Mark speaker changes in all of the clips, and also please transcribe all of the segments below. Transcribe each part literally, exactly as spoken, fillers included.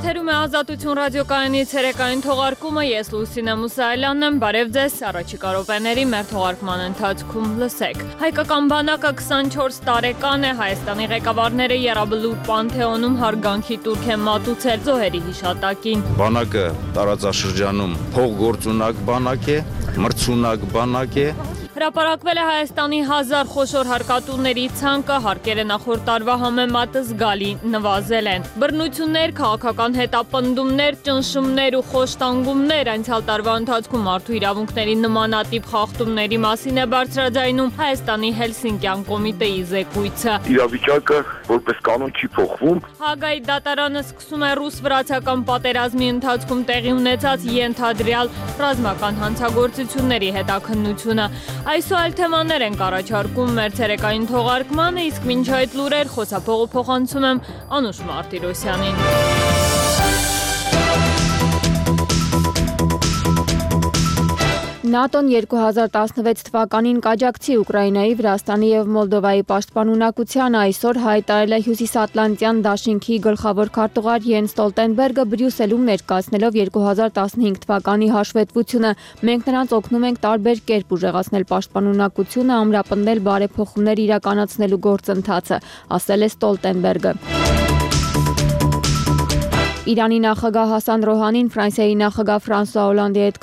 Speaker 1: Եթերում է Ազատություն ռադիոկայանի ցերեկային թողարկումը, ես Լուսինե Մուսայելյանն եմ, բարև ձեզ, առաջիկա րոպեների մեր թողարկման ընթացքում լսեք։ Հայկական բանակը քսանչորս տարեկան է, Հայաստանի ղեկավարները Եռաբլուր Պանթեոնում հարգանքի տուրք են մատուցել զոհերի հիշատակին։
Speaker 2: Բանակը տարածաշրջանում փողգործունակ բանակ է, մրցունակ բանակ է։
Speaker 1: Հրապարակվել է Հայաստանի հազար խոշոր հարկատուների ցանկը, հարկերը նախորդ տարվա համեմատը զգալի նվազել են։ Բռնություններ, քաղաքական հետապնդումներ, ճնշումներ ու խոշտանգումներ անցյալ տարվա ընթացքում մարդու իրավունքների նմանատիպ խախտումների մասին է բարձրաձայնում Հայաստանի Հելսինկյան կոմիտեի զեկույցը։
Speaker 3: Իրավիճակը որպես կանոն չի փոխվում։
Speaker 1: Հագայի դատարանը սկսում է ռուս-վրացական պատերազմի ընթացքում տեղի ունեցած ենթադրյալ ռազմական հանցագործությունների հետաքննությունը։ Այսօր այլ թեմաներ ենք առաջարկում մեր ցերեկային թողարկմանը, իսկ մինչ այդ լուրեր խոսափողը փոխանցում եմ Անուշ Մարտիրոսյանին։ ՆԱՏՕ-ն երկու հազար տասնվեց թվականին կաջակցի Ուկրաինայի, Վրաստանի և Մոլդովայի պաշտպանունակությանը, այսօր հայտարարել է Հյուսիսատլանտյան դաշինքի գլխավոր քարտուղար Յենս Ստոլտենբերգը Բրյուսելում ներկայացնելով երկու հազար տասնհինգ թվականի հաշվետվությունը։ Մենք նրանց օգնում ենք տարբեր կերպ ուժեղացնել պաշտպանունակությունը, ամրապնդել բարեփոխումներ իրականացնելու գործընթացը, ասել է Ստոլտենբերգը։ Իրանի նախագահ Հասան Ռոհանին Ֆրանսիայի նախագահ Ֆրանսուଆ Օլանդի հետ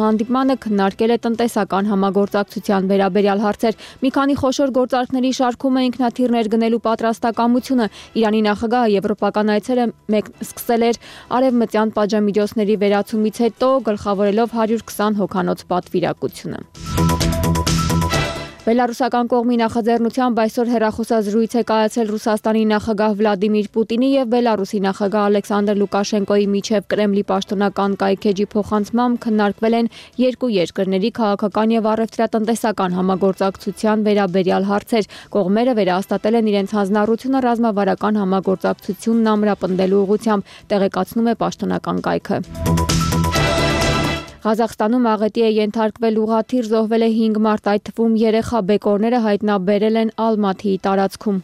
Speaker 1: հանդիպմանը քննարկել է տնտեսական համագործակցության վերաբերյալ հարցեր։ Մի քանի խոշոր գործարքների շարքում է ինքնաթիռներ գնելու պատրաստակամությունը։ Իրանի նախագահը եվրոպական այցերը սկսել էր արևմտյան պատժամիջոցների վերացումից հետո, գլխավորելով հարյուր քսան հոգանոց պատվիրակությունը։ Բելարուսական կողմի նախաձեռնությամբ այսօր հեռախոսազրույց է կայացել Ռուսաստանի նախագահ Վլադիմիր Պուտինի և Բելարուսի նախագահ Ալեքսանդր Լուկաշենկոյի միջև Կրեմլի պաշտոնական կայքէջի փոխանցմամբ քննարկվել են երկու երկրների քաղաքական և առևտրատնտեսական համագործակցության վերաբերյալ հարցեր։ Կողմերը վերահաստատել են իրենց հանձնառությունը ռազմավարական համագործակցությունն ամրապնդելու ուղղությամբ, տեղեկացնում է պաշտոնական կայքը։ Ղազախստանում աղետի է ենթարկվել ուղղաթիռ, զոհվել է հինգ մարդ, այդ թվում երեխա, բեկորները հայտնաբերել են Ալմաթիի տարածքում։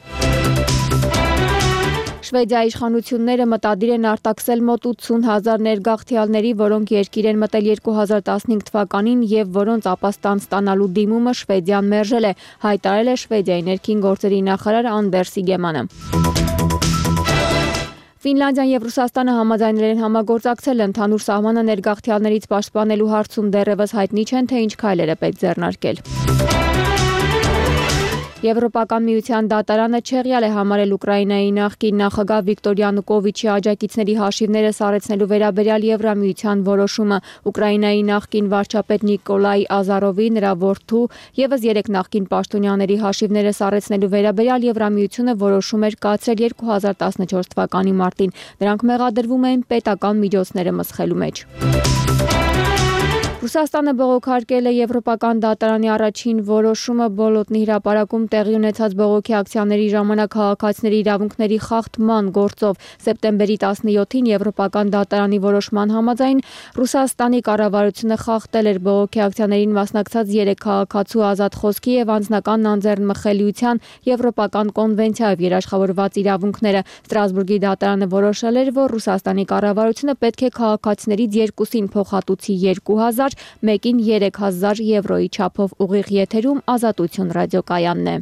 Speaker 1: Շվեդիայի իշխանությունները մտադիր են արտաքսել մոտ ութսուն հազար ներգաղթյալների, որոնք երկիր են մտել երկու հազար տասնհինգ թվականին և որոնց ապաստան ստանալու դիմումը Շվեդիան մերժել է, հայտարարել է Շվեդիայի ներքին գործերի նախարար Անդերս Իգեմանը։ Ֆինլանդիան և Ռուսաստանը համաձայնել են համագործակցել ընդհանուր սահմանը ներգաղթյալներից պաշտպանելու հարցում, դեռևս հայտնի չեն, թե ինչ քայլեր է պետք ձեռնարկել։ Եվրոպական միության դատարանը չեղյալ է համարել Ուկրաինայի նախկին նախագահ Վիկտոր Յանուկովիչի աջակիցների հաշիվները սառեցնելու վերաբերյալ Եվրամիության որոշումը։ Ուկրաինայի նախկին վարչապետ Նիկոլայ Ազարովի, նրա որդու ևս երեք նախկին պաշտոնյաների հաշիվները սառեցնելու վերաբերյալ Եվրամիությունը որոշում էր կայացրել երկու հազար տասնչորս թվականի մարտին։ Նրանք մեղադրվում էին պետական միջոցները մսխելու մեջ։ Ռուսաստանը բողոքարկել է Եվրոպական դատարանի առաջին որոշումը Բոլոտնի հրապարակում տեղի ունեցած բողոքի ակցիաների ժամանակ քաղաքացիների իրավունքների խախտման գործով։ Սեպտեմբերի տասնյոթին Եվրոպական դատարանի որոշման համաձայն Ռուսաստանի կառավարությունը խախտել էր բողոքի ակցիաներին մասնակցած երեք քաղաքացու ազատ խոսքի և անձնական անձեռնմխելիության Եվրոպական կոնվենցիայով երաշխավորված իրավունքները։ Ստրասբուրգի դատարանը որոշել էր, որ Ռուսաստանի կառավարությունը պետք է քաղաքացիներից երկուսին փոխհատուցի երկու հազար, մեկին երեք հազար եվրոյի չափով։ Ուղիղ եթերում Ազատություն ռադիոկայանն է։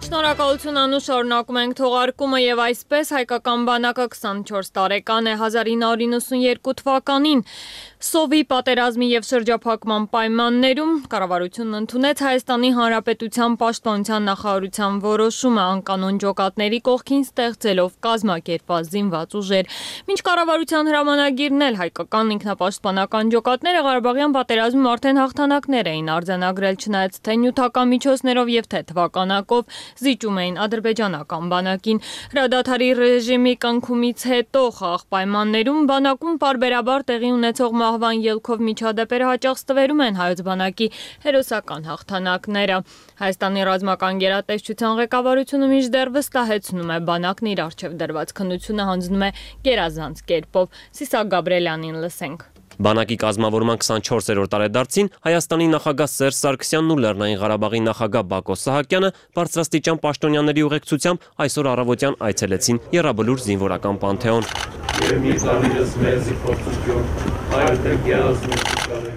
Speaker 1: Շնորհակալություն Անուշ, շարունակում ենք թողարկումը եւ այսպես հայկական բանակը քսանչորս տարեկան է, հազար ինը հարյուր նվաթ թվականին Սովի պատերազմի եւ շրջափակման պայմաններում կառավարությունն ընդունեց Հայաստանի Հանրապետության պաշտպանության նախարարության որոշումը անկանոն ջոկատների կողքին ստեղծելով կազմակերպված զինված ուժեր։ Մինչ կառավարության հրամանագիրն էլ հայկական ինքնապաշտպանական ջոկատները Ղարաբաղյան պատերազմում արդեն հաղթանակներ էին արձանագրել, չնայած թե նյութական միջոցներով եւ թե թվականակով զիջում էին ադրբեջանական բանակին։ Հրադադարի ռեժիմի կնքումից հետո խաղաղ պայմաններում բանակում պարբերաբար տեղի ունեցող
Speaker 4: մահվան ելքով միջադեպերը հաճախ ստվերում են հայոց բանակի հերոսական հաղթանակները։ Հայաստանի ռազմական գերատեսչության ղեկավարությունը մինչդեռ վստահեցնում է, բանակն իր առջև դրված քննությունը հանձնում է գերազանց կերպով։ Սիսակ Գաբրելյանին լսենք։
Speaker 5: Բանակի կազմավորման քսանչորսերորդ տարեդարձին Հայաստանի նախագահ Սերժ Սարգսյանն ու Լեռնային Ղարաբաղի նախագահ Բակո Սահակյանը բարձրաստիճան պաշտոնյաների ուղեկցությամբ այսօր առավոտյան այցելեցին Եռաբլուր զինվորական պանթեոն։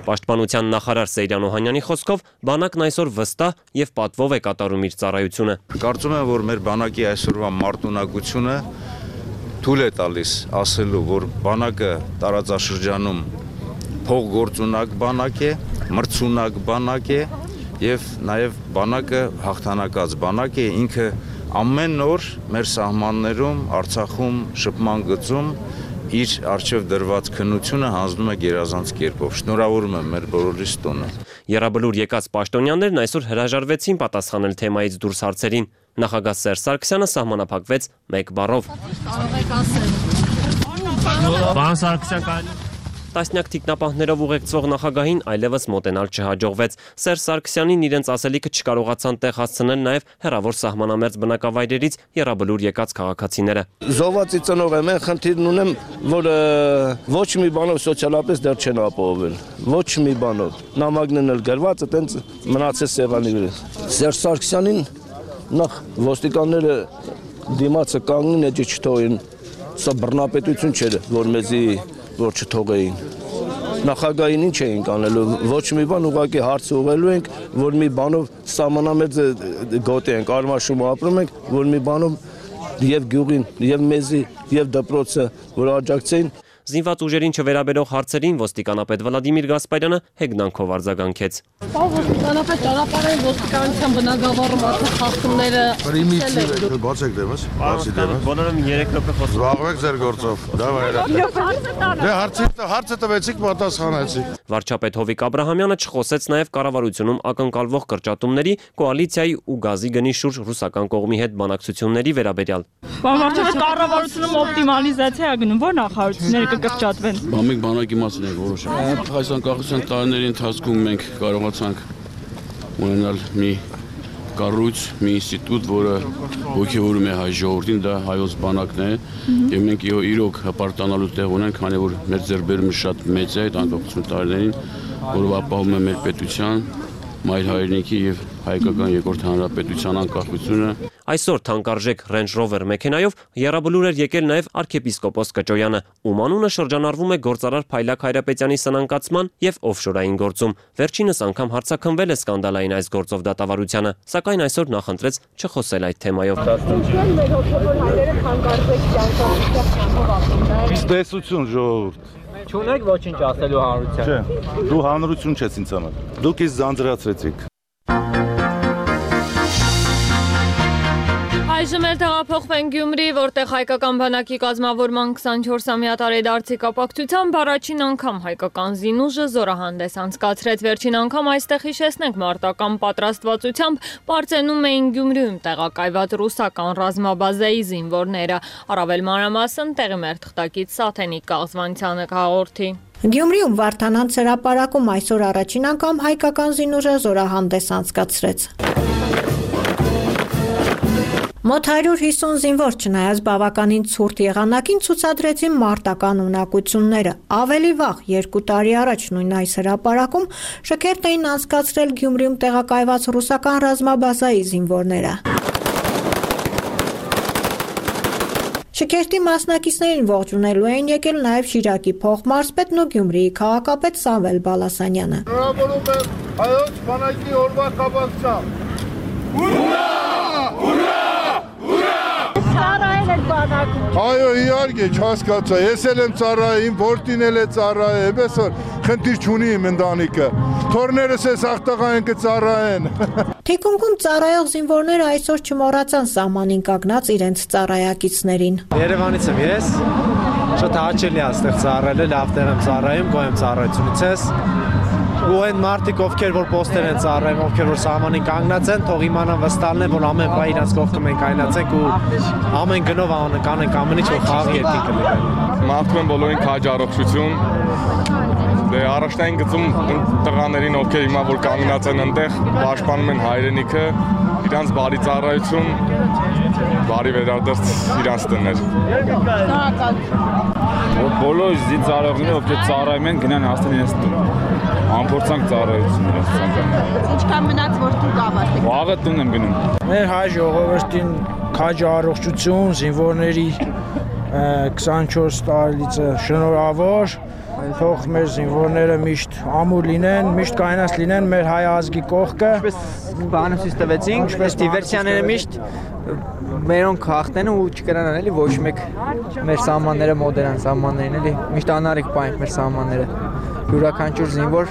Speaker 5: Պաշտպանության նախարար Սեյրան Օհանյանի խոսքով բանակն այսօր վստահ եւ պատվով է կատարում իր ծառայությունը։
Speaker 2: Կարծում եմ, որ մեր բանակի այսօրվա մարտունակությունը թույլ է տալիս ասելու, որ բանակը տարածաշրջանում փողգործունակ բանակ է, մրցունակ բանակ է եւ նաեւ բանակը հաղթանակած բանակ է, ինքը ամեն օր մեր սահմաններում, Արցախում, շփման գծում իր առջև դրված քննությունը հանձնում է գերազանց կերպով։ Շնորհավորում եմ մեր բոլորիս տոնը։
Speaker 5: Եռաբլուր եկած պաշտոնյաներն այսօր հրաժարվեցին պատասխանել թեմայից դուրս հարցերին։ Նախագահ Սերժ Սարգսյանը սահմանափակվեց մեկ բառով։ Պարոն Սարգսյան, տասնյակ թիկնապահներով ուղեկցող նախագահին այլևս մոտենալ չհաջողվեց։ Սերժ Սարգսյանին իրենց ասելիքը չկարողացան տեղ հասցնել նաև հեռավոր սահմանամերձ բնակավայրերից Եռաբլուր եկած քաղաքացիները։
Speaker 6: Զոհվածի ծնող եմ, խնդիրն ունեմ, որ ոչ մի բանով սոցիալապես դեռ չեն ապահովել։ Ոչ մի բանով։ Նամակներն էլ գրված, այտենց մնացել սեղանի վրա։ Սերժ Սարգսյանին նախ ոստիկանները դիմացը կանգնին, էջը չթողին։ Սա բռնապետություն չէր, որ մեզի որ չթողեին։ Նախագահին ինչ էինք անելու, ոչ մի բան, ուղղակի հարց ուղղելու ենք, որ մի բանով սահմանամերձ գոտի ենք, Արմաշում ապրում ենք, որ մի բանով եւ գյուղին, եւ մեզի, եւ դպրոցը, որ աջակցեին։
Speaker 5: Զինված ուժերին չվերաբերող հարցերին ոստիկանապետ Վլադիմիր Գասպարյանը հեգնանքով արձագանքեց։
Speaker 7: Ոստիկանապետ ճանապարհային ոստիկանության բնագավառում արդեն խախտումները
Speaker 8: բացեք դեմս, բացի դեմս։
Speaker 5: Բոլորը երեք րոպե խոսում։
Speaker 8: Զբաղվեք ձեր գործով։ Դե հարցը հարցը տվեցիք, պատասխանեցիք։
Speaker 5: Վարչապետ Հովիկ Աբրահամյանը չխոսեց նաև կառավարությունում ակնկալվող կրճատումների, կոալիցիայի ու գազի գնի շուրջ ռուսական կողմի հետ բանակցությունների վերաբերյալ։
Speaker 4: Վարչապետ կառավարությունում օպտիմալիզացիա է գնում, որ նախարարությունները կկրճատվեն։
Speaker 9: Մենք բանակի մասին ենք որոշում։ Հայաստան կառավարության տարիների ընթացքում մենք կարողացանք ունենալ մի կառույց, մի ինստիտուտ, որը ոգևորում է հայ ժողովրդին, դա հայոց բանակն է, եւ մենք իրոք հպարտանալու տեղ ունենք, քանի որ մեր ձեռքբերումը շատ մեծ է այդ անկախություն տարիներին, որով ապահովում է մեր պետության, մայր հայրենիքի եւ հայկական երկրորդ հանրապետության անկախությունը։
Speaker 5: Այսօր թանկարժեք Range Rover մեքենայով Եռաբլուր էր եկել նաև arczepiskopos Կճոյանը, ում անունը շրջանառվում է գործարար Փայլակ Հայրապետյանի սնանկացման եւ օֆշորային գործում։ Վերջինս անգամ հարցաքնվել է սկանդալային այս գործով դատավարությանը, սակայն այսօր նախընտրեց չխոսել այդ թեմայով։
Speaker 8: Տեսություն ժողովուրդ։
Speaker 10: Չունեք ոչինչ ասելու հանրության։
Speaker 8: Չէ, դու հանրություն չես ինձ համար։ Դուք ինձ ձանձրացրեցիք։
Speaker 4: Այժմ էլ տեղափոխվենք Գյումրի, որտեղ հայկական բանակի կազմավորման քսանչորսամյա տարեդարձի կապակցությամբ առաջին անգամ հայկական զինուժը զորահանդես անցկացրեց։ Վերջին անգամ այստեղ հիշեցնենք մարտական պատրաստվածությամբ Պարծենում էին Գյումրիում տեղակայված ռուսական ռազմաբազայի զինվորները։ Առավել մանրամասն տեղի մեր թղթակից Սաթենիկ Կաղզվանցյանը կհաղորդի։
Speaker 11: Գյումրիում Վարդանանց հրապարակում այսօր առաջին անգամ հայկական զինուժը զորահանդես անցկացրեց։ Մոտ հարյուր հիսուն զինվոր չնայած բավականին ցուրտ եղանակին ցուցադրեցին մարտական ունակությունները։ Ավելի վաղ, երկու տարի առաջ նույն այս հրապարակում շքերթ էին անցկացրել Գյումրիում տեղակայված ռուսական ռազմաբազայի զինվորները։ Շքերթի մասնակիցներին ողջունելու էին եկել նաև Շիրակի փոխմարզպետն ու Գյումրիի քաղաքապետ Սամվել Բալասանյանը։
Speaker 8: Շնորհավորում եմ հայոց բանակի օրվա կապակցությամբ։ Ուրա! Ուրա! Այո, իհարկե, չհասկացա, ես էլ եմ ծառայում, որդին էլ է ծառայում, այսօր խնդիր չունի իմ ընտանիքը, թորներս ես աղտաղային կծառայեն։
Speaker 11: Թիկունքում ծառայող զինվորները այսօր չմոռացան սահմանին կանգնած իրենց ծառայակիցներին։
Speaker 10: Երևանից եմ ես, շատ հաճելի է այստեղ ծառայելը, լավ տեղ եմ ծառայում, գոհ եմ ծառայությունից ես։ Ու այն մարդիկ, ովքեր որ պոստեր են ծառայում, ովքեր որ սահմանին կանգնած են, թող իմանան վստահն են, որ ամեն բան իրանց կողքը մենք կայնացենք ու ամեն գնով կանենք ամեն ինչ, որ խաղի երկինքը լինի։
Speaker 12: Մաղթում եմ բոլորին քաջ առողջություն, Դե առաջնային գծում տղաներին, ովքեր հիմա որ կանգնած են այնտեղ, պաշտպանում են հայրենիքը, իրանց բարի ծառայություն, բարի վերադարձ իրանց տներ։
Speaker 13: Բոլոր զինծառայողները, ովքեր ծառայում են, գնան հասնեն իրենց տուն։ Անփորձանք ծառայություն իրենց ցանկանում։
Speaker 14: Ինչքան մնաց որ դուք ավարտեք։
Speaker 13: Վաղը տուն եմ գնում։
Speaker 15: Մեր հայ ժողովրդին քաջ առողջություն, զինվորների քսանչորս տարելիցը շնորհավոր, թող մեր զինվորները միշտ ամուր լինեն, միշտ կայունած լինեն մեր հայ ազգի կողքը։
Speaker 16: Բանը ցույց տվեցինք, ինչպես դիվերսիաները միշտ մերոնք հաղթեն ու չկրանան էլի ոչ մեկ մեր սահմանները մոդերան սահմաններին էլի, միշտ անարիք պահենք մեր սահմանները։ Յուրաքանչյուր զինվոր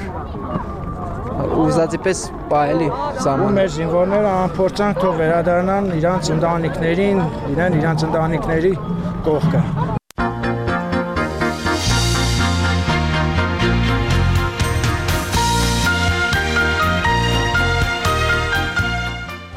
Speaker 16: ուզածի պես պահելի սահմանը։
Speaker 15: Մեր զինվորները անփորձանք թող վերադառնան իրանց ընտանիքներին, իրեն իրանց ընտանիքների կողքը։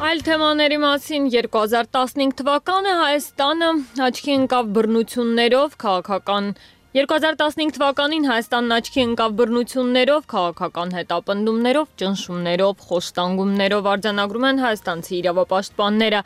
Speaker 4: Այլ թեմաների մասին երկու հազար տասնհինգ թվականը Հայաստանը աչքի ընկավ բռնություններով քաղաքական երկու հազար տասնհինգ թվականին Հայաստանն աչքի ընկավ բռնություններով, քաղաքական հետապնդումներով, ճնշումներով, խոշտանգումներով արձանագրում են հայաստանցի իրավապաշտպանները։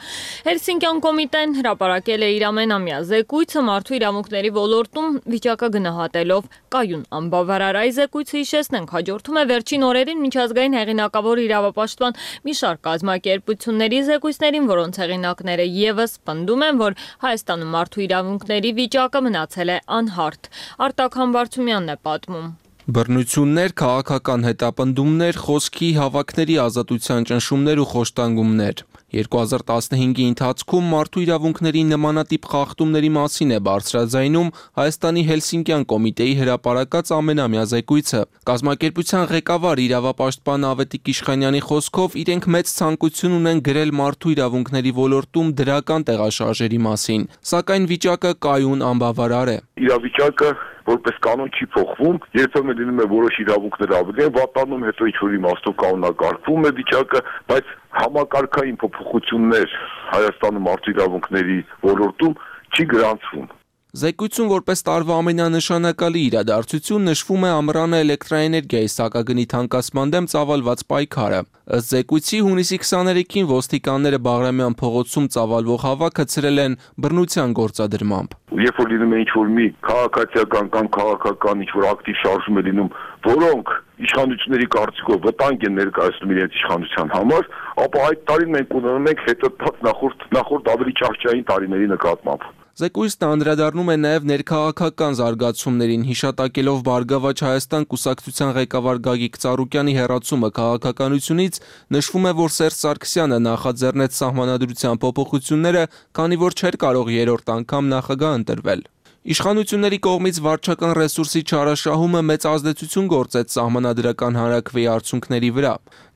Speaker 4: Հելսինկյան կոմիտեն հրապարակել է իր ամենամյա զեկույցը մարդու իրավունքների ոլորտում վիճակը գնահատելով կայուն անբավարար։ Այս զեկույցը հիշեցնենք հաջորդում է վերջին օրերին միջազգային հեղինակավոր իրավապաշտպան մի շարք կազմակերպությունների զեկույցներին, որոնց հեղինակները ևս պնդում են, որ Հայաստանում մարդու իրավունքների վիճակը մնացել է անհարթ։ Արտակ Համբարձումյանն է պատմում։
Speaker 17: Բռնություններ, քաղաքական հետապնդումներ, խոսքի, հավաքների ազատության ճնշումներ ու խոշտանգումներ։ երկու հազար տասնհինգի ընթացքում մարդու իրավունքների նմանատիպ խախտումների մասին է բարձրաձայնում Հայաստանի Հելսինկյան կոմիտեի հրապարակած ամենամյա զեկույցը։ Կազմակերպության ղեկավար իրավապաշտպան Ավետիք Իշխանյանի խոսքով իրենք մեծ ցանկություն ունեն գրել մարդու իրավունքների ոլորտում դրական տեղաշարժերի մասին, սակայն վիճակը կայուն անբավարար է։
Speaker 3: Իրավիճակը որպես կանոն չի փոխվում, երբեմն լինում է որոշ իրավունքներ ավելի են վատանում, հետո ինչ-որ իմաստով կանոնակարգվում է վիճակը, բայց համակարգային փոփոխություններ Հայաստանում մարդու իրավունքների ոլորտում չի գրանցվում։
Speaker 17: Զեկույցում որպես տարվա ամենանշանակալի իրադարձություն նշվում է ամռանը էլեկտրաէներգիայի սակագնի թանկացման դեմ ծավալված պայքարը։ Ըստ զեկույցի հունիսի քսաներեքին ոստիկանները Բաղրամյան փողոցում ծավալվող հավաքը ցրել են բռնության գործադրմամբ։
Speaker 3: Երբ որ լինում է ինչ-որ մի քաղաքացիական կամ քաղաքական ինչ-որ ակտիվ շարժում է լինում, որոնք իշխանությունների կարծիքով վտանգ են ներկայացնում իրենց իշխանության համար, ապա այդ տարին մենք ունենում ենք հետընթաց նախորդ նախորդ ավելի ճահճային տարիների նկատմամբ։
Speaker 17: Զեկույցն անդրադառնում է նաև ներքաղաքական զարգացումներին, հիշատակելով Բարգավաճ Հայաստան կուսակցության ղեկավար Գագիկ Ծառուկյանի հեռացումը քաղաքականությունից, նշվում է, որ Սերժ Սարգսյանը նախաձեռնեց սահմանադրության փոփոխությունները, քանի որ չէր կարող երրորդ անգամ նախագահ ընտրվել։ Իշխանությունների կողմից վարչական ռեսուրսի չարաշահումը մեծ ազդեցություն գործեց սահմանադրական հանրաքվեի արդյունքների վրա։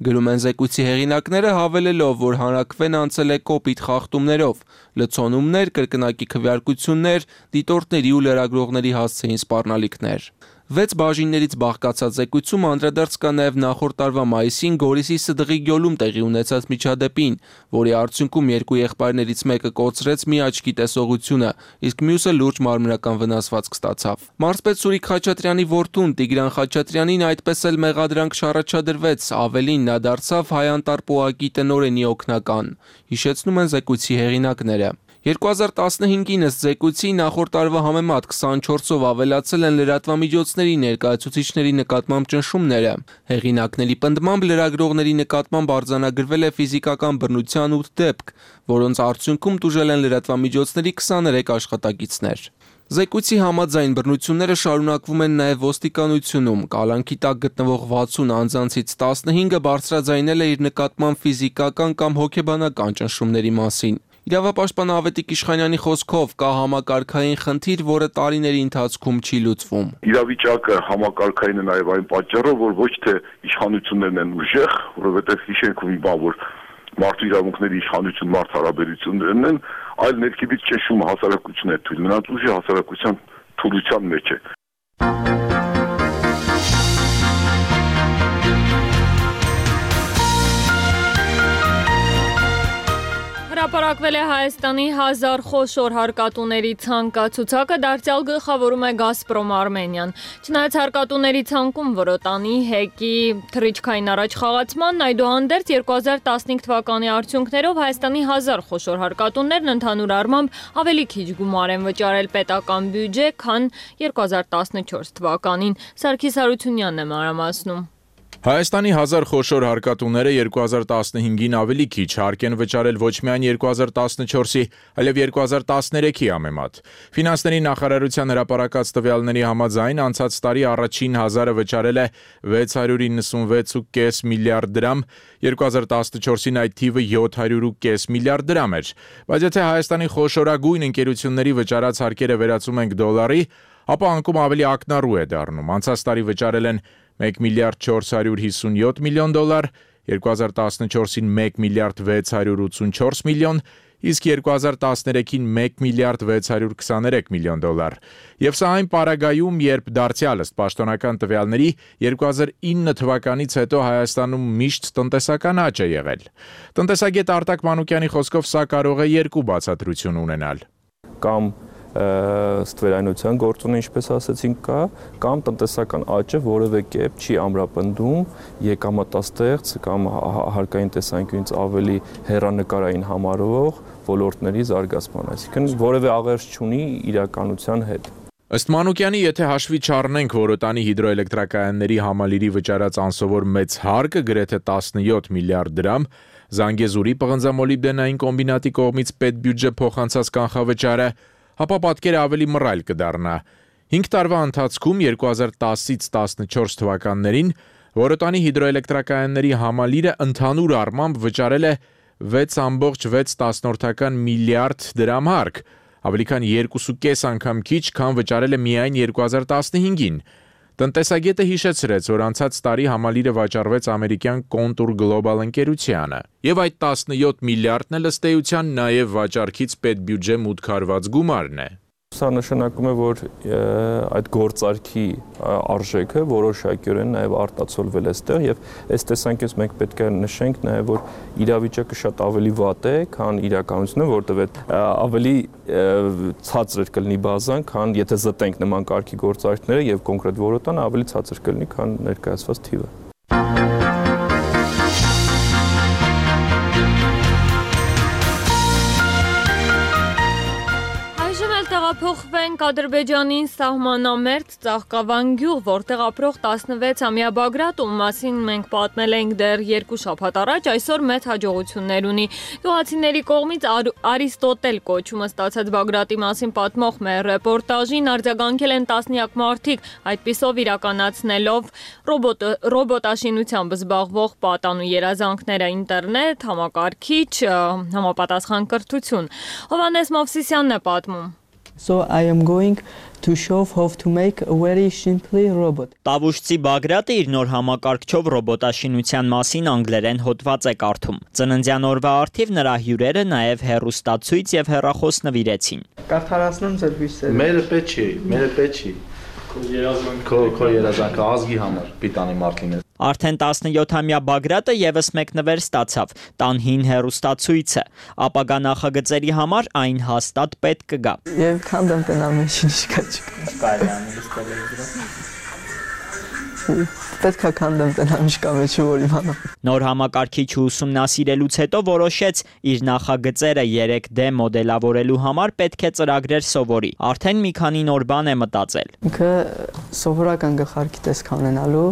Speaker 17: Գրում են զեկույցի հեղինակները, հավելելով, որ հանրաքվեն անցել է կոպիտ խախտումներով, լցոնումներ, կրկնակի քվեարկություններ, դիտորդների ու լրագրողների հասցեին սպառնալիքներ։ Վեց բաժիններից բաղկացած զեկույցում անդրադարձ կա նաև նախորդ տարվա մայիսին Գորիսի Սդղի գյուլում տեղի ունեցած միջադեպին, որի արդյունքում երկու եղբայրներից մեկը կորցրեց մի աչքի տեսողությունը, իսկ մյուսը լուրջ մարմնական վնասվածք ստացավ։ Մարզպետ Սուրիկ Խաչատրյանի որդուն Տիգրան Խաչատրյանին այդպես էլ մեղադրանք չառաջադրվեց, ավելին նա դարձավ հայ-անտառ պոակի տնօրենի օգնական, հիշեցնում են զեկույցի հեղինակները։ երկու հազար տասնհինգին ըստ զեկույցի նախորդ տարվա համեմատ քսանչորսով ավելացել են լրատվամիջոցների ներկայացուցիչների նկատմամբ ճնշումները։ Հեղինակների պնդմամբ լրագրողների նկատմամբ արձանագրվել է ֆիզիկական բռնության ութ դեպք, որոնց արդյունքում տուժել են լրատվամիջոցների քսաներեք աշխատակիցներ։ Զեկույցի համաձայն բռնությունները շարունակվում են նաև ոստիկանությունում, կալանքի տակ գտնվող վաթսուն անձանցից տասնհինգը բարձրաձայնել է իր նկատմամբ ֆիզիկական կամ հոգեբանական ճնշումների մասին։ Իրավապաշտպան Ավետիք Իշխանյանի խոսքով կա համակարգային խնդիր, որը տարիների ընթացքում չի լուծվում։
Speaker 3: Իրավիճակը համակարգային է նաև այն պատճառով, որ ոչ թե իշխանություններն են ուժեղ, որովհետև հիշենք մի բան, որ մարդու իրավունքների իշխանություն մարդ հարաբերություններն են, այլ ներքևից ճնշումը հասարակությունն է թույլ, նրանց ուժը հասարակության թուլության մեջ է։
Speaker 4: Հրապարակվել է Հայաստանի հազար խոշոր հարկատուների ցանկացուցակը, դարձյալ գլխավորում է Գազպրոմ Արմենիան։ Չնայած հարկատուների ցանկում Որոտանի, ՀԵԿ-ի թռիչքային առաջխաղացմանն, այդուհանդերձ երկու հազար տասնհինգ թվականի արդյունքներով Հայաստանի հազար խոշոր հարկատուներն ընդհանուր առմամբ ավելի քիչ գումար են վճարել պետական բյուջե, քան երկու հազար տասնչորս թվականին։ Սարգիս Հարությունյանն է մանրամասնում։
Speaker 18: Հայաստանի հազար խոշոր հարկատուները երկու հազար տասնհինգին ավելի քիչ հարկ են վճարել ոչ միայն երկու հազար տասնչորսի, այլև երկու հազար տասներեքի համեմատ։ Ֆինանսների նախարարության հրապարակած տվյալների համաձայն անցած տարի առաջին հազարը վճարել է վեց հարյուր իննսունվեց կόμμα պենս միլիարդ դրամ, երկու հազար տասնչորսին այդ թիվը յոթ հարյուր կόμma պենս միլիարդ դրամ էր։ Բայց եթե Հայաստանի խոշորագույն ընկերությունների վճարած հարկերը վերածում ենք դոլարի, ապա անկում ավելի ակնառու է դառնում։ Անցած տարի վճարել են մեկ միլիարդ չորս հարյուր հիսունյոթ միլիոն դոլար, երկու հազար տասնչորսին մեկ միլիարդ վեց հարյուր ութսունչորս միլիոն, իսկ երկու հազար տասներեքին մեկ միլիարդ վեց հարյուր քսաներեք միլիոն դոլար։ Եվ սա այն պարագայում, երբ դարձյալ ըստ պաշտոնական տվյալների երկու հազար ինը թվականից հետո Հայաստանում միշտ տնտեսական աճ է եղել։ Տնտեսագետ Արտակ Մանուկյանի խոսքով սա կարող է երկու բացատրություն ունենալ։
Speaker 19: Կամ ստվերայնության գործոնը, ինչպես ասացինք, կա, կամ տնտեսական աճը որևէ կերպ չի ամրապնդում եկամտաստեղծ կամ հարկային տեսանկյունից ավելի հեռանկարային համարվող ոլորտների զարգացման, այսինքն որևէ աղերս չունի իրականության հետ։
Speaker 18: Ըստ Մանուկյանի, եթե հաշվի չառնենք Որոտանի հիդրոէլեկտրակայանների համալիրի վճարած անսովոր մեծ հարկը գրեթե տասնյոթ միլիարդ դրամ, Զանգեզուրի պղնձամոլիբդենային կոմբինատի կողմից պետբյուջե փոխանցած կանխավճարը, ապա պատկերը ավելի մռայլ կդառնա։ հինգ տարվա ընթացքում երկու հազար տասից տասնչորս թվականներին Որոտանի հիդրոէլեկտրակայանների համալիրը ընդհանուր առմամբ վճարել է վեց կόμma վեց միլիարդ դրամ հարկ, ավելի քան երկու կես անգամ քիչ, քան վճարել է միայն երկու հազար տասնհինգին։ Տնտեսագետը հիշեցրեց, որ անցած տարի համալիրը վաճառվեց ամերիկյան Contour Global ընկերությանը, եւ այդ տասնյոթ միլիարդն էլ ըստ էության նաեւ վաճառքից պետբյուջե մուտք արված գումարն է։
Speaker 19: Սա նշանակում է, որ այդ գործարքի արժեքը որոշակիորեն նաև արտացոլվել է այստեղ եւ այս տեսանկյունից մենք պետք է նշենք նաև, որ իրավիճակը շատ ավելի վատ է, քան իրականությունը, որտեղ ավելի ցածր կլինի բազան, քան եթե զտենք նման կարգի գործարքները եւ կոնկրետ Որոտանը ավելի ցածր կլինի, քան ներկայացված թիվը։
Speaker 4: Տեղափոխվենք Ադրբեջանին սահմանամերձ Ծաղկավան գյուղ, որտեղ ապրող տասնվեցամյա Բագրատ, ում մասին մենք պատմել ենք դեռ երկու շաբաթ առաջ, այսօր մեծ հաջողություններ ունի։ Գյուղացիների կողմից Արիստոտել կոչումը ստացած Բագրատի մասին պատմող մեր ռեպորտաժին արձագանքել են տասնյակ մարդիկ, այդպիսով իրականացնելով ռոբոտաշինությամբ զբաղվող պատանու երազանքները, ինտերնետ, համակարգիչ, համապատասխան կրթություն։ Հովհաննես Մովսիսյանն է պատմում։
Speaker 20: So I am going to show how to make a very simply robot.
Speaker 21: Տավուշցի Բագրատը իր նոր համակարգչով ռոբոտաշինության մասին անգլերեն հոդված է կարդում։ Ծննդյան օրվա առթիվ նրա հյուրերը նաև հեռուստացույց եւ հեռախոս նվիրեցին։
Speaker 20: Կարդարացնում ձեր հույսերը։
Speaker 22: Մերը պետք չի, մերը պետք չի։ Քո քո երազանքը ազգի համար պիտանի մարդ լինես։
Speaker 21: Արդեն տասնյոթամյա Բագրատը եւս մեկ նվեր ստացավ՝ տան հին հեռուստացույցը։ Ապագա նախագծերի համար այն հաստատ պետք կգա։
Speaker 20: Եվ քանդեմ տնալ մեջին չկա չկա։
Speaker 21: Կարելի է
Speaker 20: Պետք է քանդեմ տնալ չկա մեջը, որ իմանամ։
Speaker 21: Նոր համակարգիչը ուսումնասիրելուց հետո որոշեց իր նախագծերը երեք դե մոդելավորելու համար պետք է ծրագրեր սովորի։ Արդեն մի քանի նոր բան է մտածել։
Speaker 20: Ինքը սովորական գլխարկի տեսք ունենալու,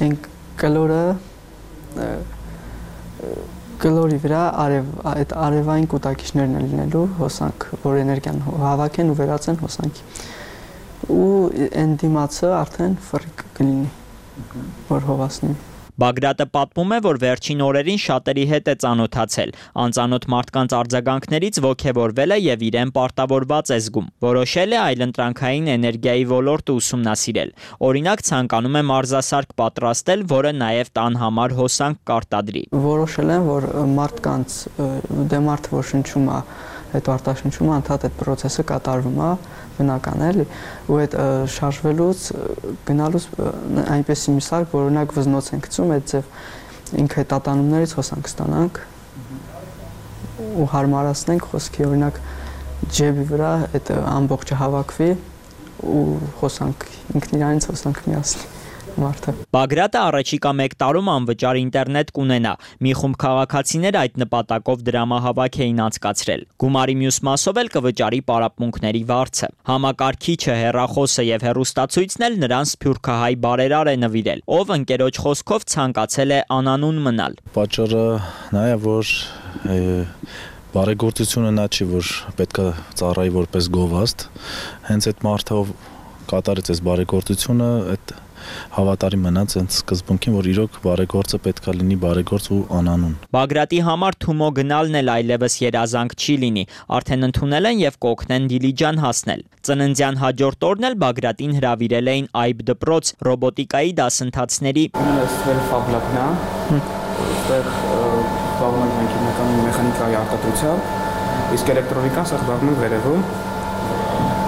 Speaker 20: այն կլորը կլորի վրա արև այդ արևային կուտակիչներն են լինելու հոսանք, որ էներգիան հավաքեն ու վերածեն հոսանքի։ Ու այն դիմացը արդեն ֆրիկ կլինի, որ հովասնի։
Speaker 21: Բագրատը պատմում է, որ վերջին օրերին շատերի հետ է ծանոթացել, անծանոթ մարդկանց արձագանքներից ոգևորվել է եւ իրեն պարտավորված է զգում։ Որոշել է այլընտրանքային էներգիայի ոլորտը ուսումնասիրել։ Օրինակ ցանկանում է մարզասարք պատրաստել, որը նաեւ տան համար հոսանք կարտադրի։
Speaker 20: Որոշել եմ, որ մարդկանց դե մարդը որ շնչում է, այդ արտաշնչումը անդադ այդ process-ը կատարվում է, բնական է, էլի, ու այդ շարժվելուց գնալուց այնպեսի մի սարք, որ օրինակ վզնոց են գցում, այդ ձև ինքը այդ ատանումներից հոսանք ստանանք։ ու հարմարացնենք, խոսքի օրինակ ջեբի վրա այդ ամբողջը հավաքվի ու խոսանք ինքն իրանից խոսանք միասին մարդը։
Speaker 21: Բագրատը առաջիկա մեկ տարում անվճար ինտերնետ կունենա։ Մի խումբ քաղաքացիներ այդ նպատակով դրամահավաք էին անցկացրել։ Գումարի մյուս մասով էլ կվճարի պարապմունքների վարձը։ Համակարգիչը, հեռախոսը եւ հեռուստացույցն էլ նրան սփյուռքահայ բարերար է նվիրել, ով ընկերոջ խոսքով ցանկացել է անանուն մնալ։
Speaker 22: Պատճառը նա է, որ բարեգործությունը նա չի, որ պետքա ծառայի որպես գովաստ, հենց այդ մարդը ով կատարեց այս բարեգործությունը, այդ հավատարիմ մնաց հենց սկզբունքին, որ իրոք բարեգործը պետքա լինի բարեգործ ու անանուն։
Speaker 21: Բագրատի համար Թումո գնալն էլ այլևս երազանք չի լինի, արդեն ընդունել են եւ կօգնեն Դիլիջան հասնել։ Ծննդյան հաջորդ օրն էլ Բագրատին հրավիրել էին Այբ դպրոց ռոբոտիկայի դասընթացների։
Speaker 1: Ֆաբլակն է, այստեղ զբաղվում ենք քիմիական մեխանիկայի արտադրությամբ, իսկ էլեկտրոնիկան զբաղվում է վերևում։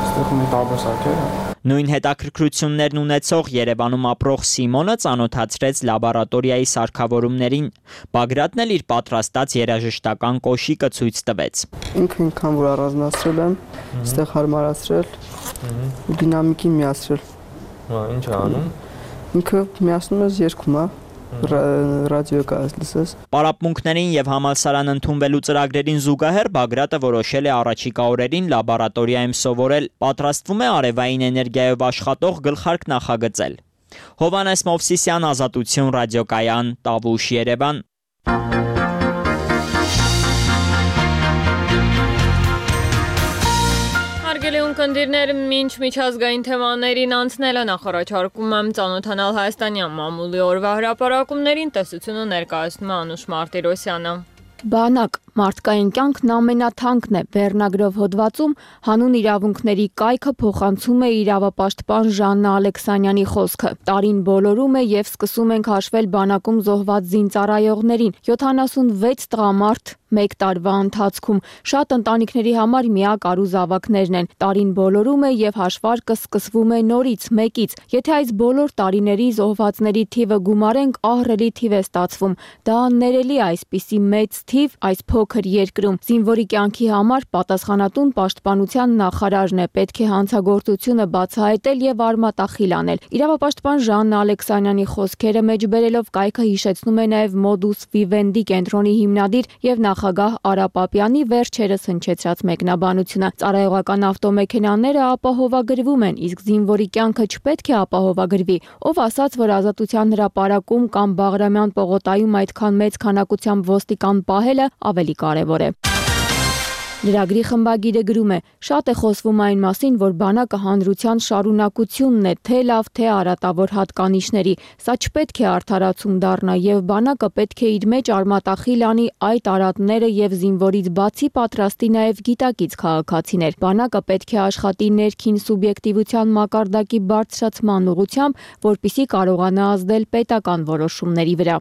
Speaker 1: Այստեղ ունենք տարբեր սարքեր։
Speaker 21: Նույն հետաքրքրություններն ունեցող Երևանում ապրող Սիմոնը ծանոթացրեց լաբորատորիայի սարքավորումներին։ Բագրատն էլ իր պատրաստած երաժշտական կոշիկը ցույց տվեց։
Speaker 20: Ինքը ինքան որ առանձնացրել եմ, այստեղ հարմարացրել, դինամիկին միացրել։
Speaker 1: Հա, ինչ է անում։
Speaker 20: Ինքը միացնում է երգում, հա։ Ռադիո կա լսես։
Speaker 21: Պարապմունքներին եւ համալսարան ընդունվելու ծրագրերին զուգահեռ Բագրատը որոշել է առաջիկա օրերին լաբորատորիայում սովորել, պատրաստվում է արևային էներգիայով աշխատող գլխարկ նախագծել։ Հովանես Մովսիսյան, Ազատություն, ռադիոկայան, Տավուշ, Երևան։
Speaker 4: Հարգելի ունկնդիրներ, մինչ միջազգային թեմաներին անցնելը նախարարչարկում եմ ծանոթանալ հայաստանյան մամուլի օրվա հրապարակումներին, տեսությունը ներկայացնում է Անուշ Մարտիրոսյանը։
Speaker 2: Բանակ մարդկային կյանքն ամենաթանկն է վերնագրով հոդվածում հանուն իրավունքների կայքը փոխանցում է իրավապաշտպան Ժաննա Ալեքսանյանի խոսքը։ Տարին բոլորում է եւ սկսում ենք հաշվել բանակում զոհված զինծառայողներին։ յոթանասունվեց տղամարդ մեկ տարվա ընթացքում շատ ընտանիքների համար միակ առու զավակներն են։ Տարին բոլորում է եւ հաշվարկը սկսվում է նորից մեկից։ Եթե այս բոլոր տարիների զոհվածների թիվը գումարենք, ահռելի թիվ է ստացվում։ Դա ներելի այսպիսի մեծ թիվ այս փոքր երկրում։ Զինվորի կյանքի համար պատասխանատուն պաշտպանության նախարարն է, պետք է հանցագործությունը բացահայտել եւ արմատախիլ անել։ Իրավապաշտպան Ժաննա Ալեքսանյանի խոսքերը մեջբերելով կայքը հիշեցնում է նաեւ Modus Vivendi կենտրոնի հիմնադիր եւ նախագահ Արա Պապյանի վերջերս հնչեցրած մեկնաբանությունը։ Ծառայողական ավտոմեքենաները ապահովագրվում են, իսկ զինվորի կյանքը չպետք է ապահովագրվի։ Ով ասաց, որ Ազատության հրապարակում կամ Բաղրամյան պողոտայում այդքան մեծ քանակությամբ ոստիկան պահելը ավելի կարևոր է։ Լրագրի խմբագիրը գրում է. շատ է խոսվում այն մասին, որ բանակը հանրության շարունակությունն է, թե լավ, թե արատավոր հատկանիշների։ Սա չպետք է արդարացում դառնա եւ բանակը պետք է իր մեջ արմատախիլ անի այդ արատները եւ զինվորից բացի պատրաստի նաեւ գիտակից քաղաքացիներ։ Բանակը պետք է աշխատի ներքին սուբյեկտիվության մակարդակի բարձրացման ուղղությամբ, որպիսի կարողանա ազդել պետական որոշումների վրա։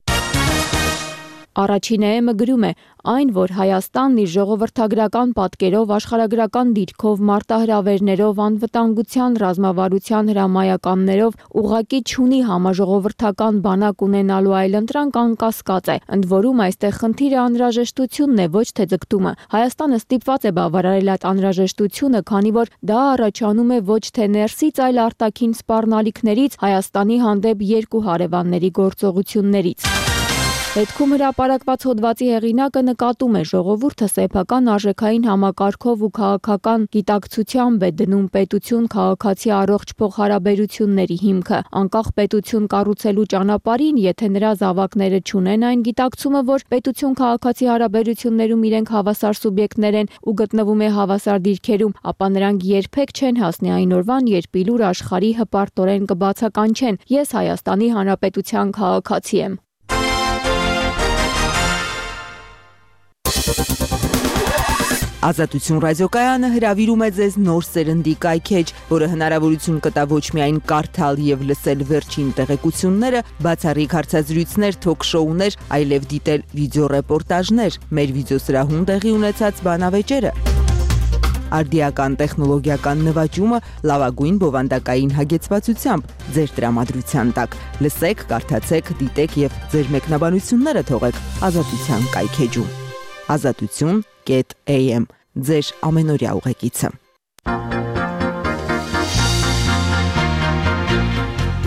Speaker 2: Առաջին էմը գրում է. այն, որ Հայաստանն իր ժողովրդագրական պատկերով, աշխարհագրական դիրքով, մարտահրավերներով, անվտանգության ռազմավարության հրամայականներով ուղղակի չունի համաժողովրդական բանակ ունենալու այլընտրանք անկասկած է։ Ընդ որում այստեղ խնդիրը անհրաժեշտությունն է, ոչ թե ձգտումը։ Հայաստանը ստիպված է բավարարել այդ անհրաժեշտությունը, քանի որ դա առաջանում է ոչ թե ներսից, այլ արտաքին սպառնալիքներից, Հայաստանի հանդեպ երկու հարևանների գործողություններից։ Հետքում հրապարակված հոդվածի հեղինակը նկատում է ժողովուրդը սեփական արժեքային համակարգով ու քաղաքական գիտակցությամբ է դնում պետություն քաղաքացի առողջ փոխհարաբերությունների հիմքը։ Անկախ պետություն կառուցելու ճանապարհին, եթե նրա զավակները չունեն այն գիտակցումը, որ պետություն քաղաքացի հարաբերություններում իրենք հավասար սուբյեկտներ են ու գտնվում է հավասար դիրքերում, ապա նրանք երբեք չեն հասնի այն օրվան, երբ իլուր աշխարհի հպարտորեն կբացականչեն. Ես Հայաստանի Հանրապետության քաղաքացի եմ։
Speaker 23: Ազատություն ռադիոկայանը հրավիրում է ձեզ նոր սերնդի կայքեջ, որը հնարավորություն կտա ոչ միայն կարդալ եւ լսել վերջին տեղեկությունները, բացառիկ հարցազրույցներ, թոք-շոուներ, այլև դիտել վիդեոռեպորտաժներ, մեր վիդեոսրահում տեղի ունեցած բանավեճերը, արդիական տեխնոլոգիական նվաճումը լավագույն բովանդակային հագեցվածությամբ ձեր տրամադրության տակ։ Լսեք, կարդացեք, դիտեք եւ ձեր մեկնաբանությունները թողեք Ազատության կայքեջում։ ազատություն կետ a m ձեր ամենօրյա ուղեկիցը։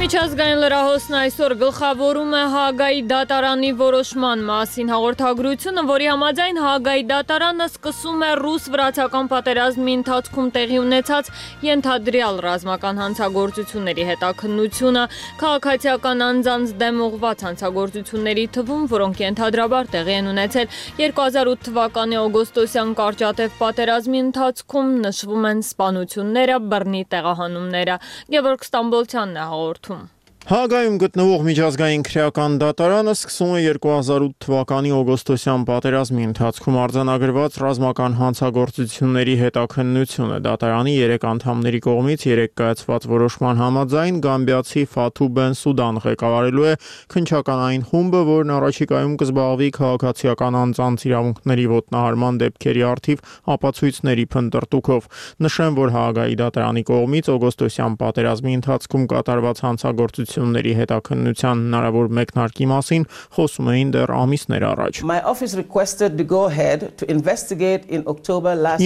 Speaker 4: Միջազգային լրահոսն այսօր գլխավորում է Հաագայի դատարանի որոշման մասին հաղորդագրությունը, որի համաձայն Հաագայի դատարանը սկսում է ռուս-վրացական պատերազմի ընթացքում տեղի ունեցած ենթադրյալ ռազմական հանցագործությունների հետաքննությունը, քաղաքացիական անձանց դեմ ուղղված հանցագործությունների թվում, որոնք ենթադրաբար տեղի են ունեցել երկու հազար ութ թվականի օգոստոսյան կարճատև պատերազմի ընթացքում, նշվում են սպանությունները, բռնի տեղահանումները։ Գևորգ Ստամբոլցյանն է հաղորդում։
Speaker 6: Հաագայում գտնվող միջազգային քրեական դատարանը սկսում է երկու հազար ութ թվականի օգոստոսյան պատերազմի ընթացքում արձանագրված ռազմական հանցագործությունների հետաքննությունը։ Դատարանի երեք անդամների կողմից երեք կայացված որոշման համաձայն գամբիացի Ֆաթու Բենսուդան ղեկավարելու է քննչականային խումբը, որն առաջիկայում կզբաղվի քաղաքացիական անձանց իրավունքների ոտնահարման դեպքերի առթիվ ապացույցների փնտրտուքով։ Նշեմ, որ Հաագայի դատարանի կողմից օգոստոսյան պատերազմի ընթացքում կատարված հանցագործությունների ների հետաքննության հնարավոր մեկնարկի մասին խոսում էին դեռ ամիսներ առաջ։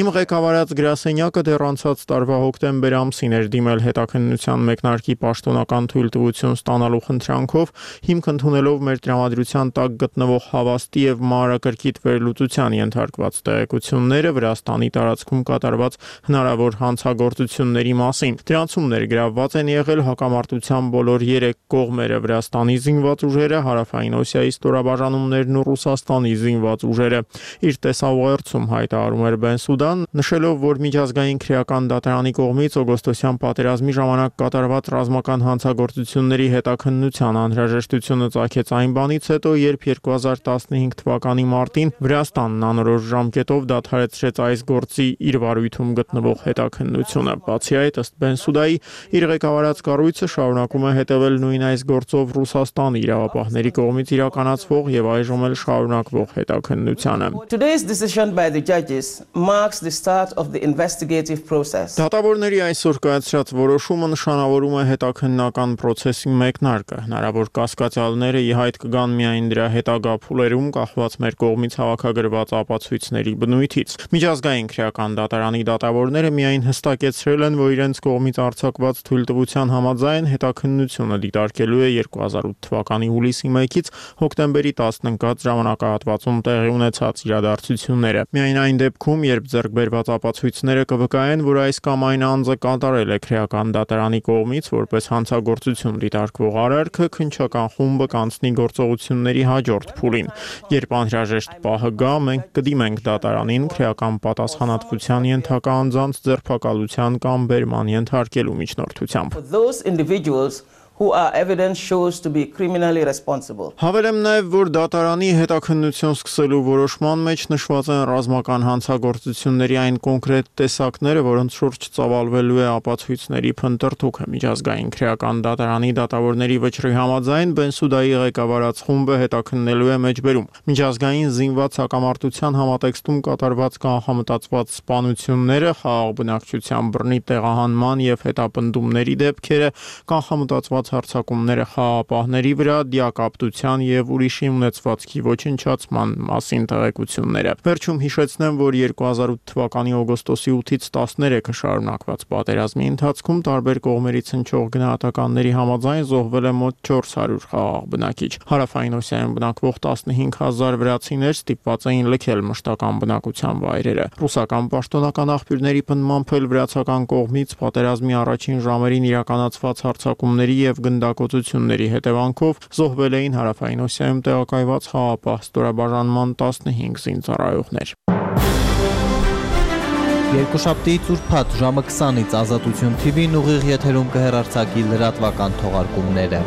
Speaker 6: Իմ ղեկավարած գրասենյակը դեռ անցած տարվա հոկտեմբեր ամսին էր դիմել հետաքննության մեկնարկի պաշտոնական թույլտվություն ստանալու խնդրանքով, հիմք ընդունելով մեր տրամադրության տակ գտնվող հավաստի եւ մանրակրկիտ վերլուծության ենթարկված տեղեկությունները Վրաստանի տարածքում կատարված հնարավոր հանցագործությունների մասին։ Դրանցում ներգրավված են եղել հակամարտության բոլոր երեք կողմերը՝ Վրաստանի զինված ուժերը, Հարավային Օսիայի ստորաբաժանումներն ու Ռուսաստանի զինված ուժերը։ Իր տեսաուղերձում հայտարարում էր Բենսուդան, նշելով, որ միջազգային քրեական դատարանի կողմից օգոստոսյան պատերազմի ժամանակ կատարված ռազմական հանցագործությունների հետաքննության անհրաժեշտությունը ծագեց այն բանից հետո, երբ երկու հազար տասնհինգ թվականի մարտին Վրաստանն անորոշ ժամկետով դադարեցրեց այս գործի իր վարույթում գտնվող հետաքննությունը։ Բացի այդ, ըստ Բենսուդայի, իր ղեկավարած կառույցը շարունակում է հետևել նույն այս գործով Ռուսաստանի իրավապահների կողմից իրականացվող եւ այժմ էլ շարունակվող հետաքննությանը։ Դատավորների այսօր կայացրած որոշումը նշանավորում է հետաքննական process-ի մեկնարկը։ Հնարավոր կասկածյալները ի հայտ կգան միայն դրա հետագա փուլերում կախված մեր կողմից հավաքագրված ապացույցների բնույթից։ Միջազգային քրեական դատարանի դատավորները միայն հստակեցրել են, որ իրենց կողմից արձակված թույլտվության համաձայն հետաքննությունը դիտարկելու է երկու հազար ութ թվականի հուլիսի մեկից հոկտեմբերի տասն ընկած ժամանակահատվածում տեղի ունեցած իրադարձությունները։ Միայն այն դեպքում, երբ ձեռք բերված ապացույցները կվկայեն, որ այս կամ այն անձը կատարել է քրեական դատարանի կողմից որպես հանցագործություն դիտարկվող արարքը, քննչական խումբը կանցնի գործողությունների հաջորդ փուլին։ Երբ անհրաժեշտ պահը գա, մենք կդիմենք դատարանին քրեական պատասխանատվության ենթակա անձանց ձերբակալության կամ բերման ենթարկելու միջնորդությամբ։
Speaker 7: Who are evidence shows to be criminally responsible.
Speaker 6: Հավելեմ նաև, որ դատարանի հետաքննություն սկսելու որոշման մեջ նշված են ռազմական հանցագործությունների այն կոնկրետ տեսակները, որոնց շուրջ ծավալվելու է ապացույցների փնտրտուքը։ Միջազգային քրեական դատարանի դատավորների վճռի համաձայն Բենսուդայի ղեկավարած խումբը հետաքննելու է մեջբերում միջազգային զինված հակամարտության համատեքստում կատարված կանխամտածված սպանությունները, խաղաղ բնակչության բռնի տեղահանման եւ հետապնդումների դեպքերը, կանխամտածված հարձակումները խաղաղապահների վրա, դիակապտության եւ ուրիշի ունեցվածքի ոչնչացման մասին տեղեկությունները։ Վերջում հիշեցնեմ, որ երկու հազար ութ թվականի օգոստոսի ութից տասներեքը շարունակված պատերազմի ընթացքում տարբեր կողմերից հնչող գնահատականների համաձայն զոհվել է մոտ չորս հարյուր խաղաղ բնակիչ։ Հարավային Օսիայում բնակվող տասնհինգ հազար վրացիներ ստիպված էին լքել մշտական բնակության վայրերը։ Ռուսական պաշտոնական աղբյուրների պնդմամբ էլ վրացական կողմից պատերազմի առաջին ժամերին իրականացված հարձակումների եւ գնդակոծությունների հետևանքով զոհվել էին Հարավային Օսիայում տեղակայված խաղաղապահ ստորաբաժանման տասնհինգ զինծառայողներ։
Speaker 9: Երկուշաբթիից ուրբաթ ժամը քսանից Ազատություն Թի Վին ուղիղ եթերում կհեռարձակի լրատվական թողարկումները։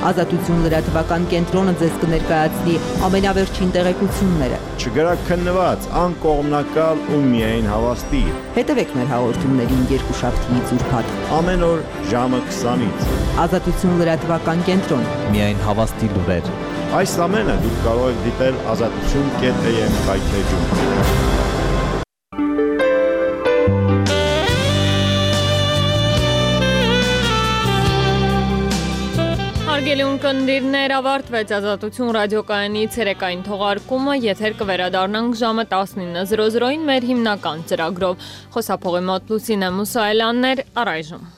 Speaker 23: Ազատություն լրատվական կենտրոնը ձեզ կներկայացնի ամենավերջին տեղեկությունները։
Speaker 24: Չգրակ քննված, անկողմնակալ ու միայն հավաստի։
Speaker 23: Հետևեք մեր հաղորդումներին երկուշաբթիից ուրբաթ
Speaker 24: ամեն օր ժամը քսանից։
Speaker 23: Ազատություն լրատվական կենտրոն։
Speaker 9: Միայն հավաստի լուրեր։
Speaker 24: Այս ամենը դուք կարող եք դիտել ազատություն կետ a m կայքեջում։
Speaker 4: Սիրելի ունկնդիրներ, ավարտվեց Ազատություն ռադիոկայանի ցերեկային թողարկումը, եթեր կվերադառնանք ժամը տասնինը զրո զրոին մեր հիմնական ծրագրով։ Խոսափողի մոտ Լուսինե Մուսայելյանն էր, առայժմ։